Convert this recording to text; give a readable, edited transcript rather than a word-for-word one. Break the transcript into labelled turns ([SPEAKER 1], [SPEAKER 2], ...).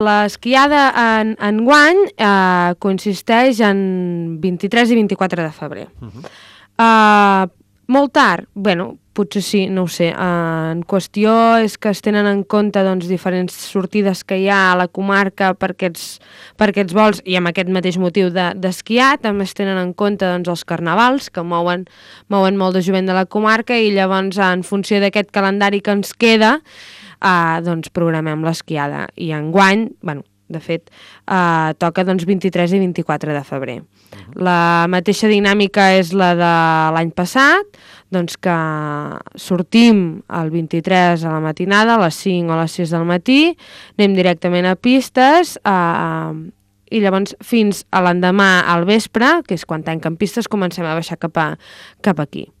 [SPEAKER 1] L'esquiada enguany consisteix en 23 i 24 de febrer. Molt tard? Bueno, potser sí, no ho sé. En qüestió és que es tenen en compte diferents sortides que hi ha a la comarca per aquests vols i amb aquest mateix motiu d'esquiar. També es tenen en compte els carnavals que mouen molt de jovent de la comarca i llavors en funció d'aquest calendari que ens queda programem l'esquiada i enguany, de fet, toca 23 i 24 de febrer. La mateixa dinàmica és la de l'any passat, que sortim el 23 a la matinada, a les 5 o a les 6 del matí, anem directament a pistes i llavors fins a l'endemà al vespre, que és quan tanquen pistes, comencem a baixar cap aquí.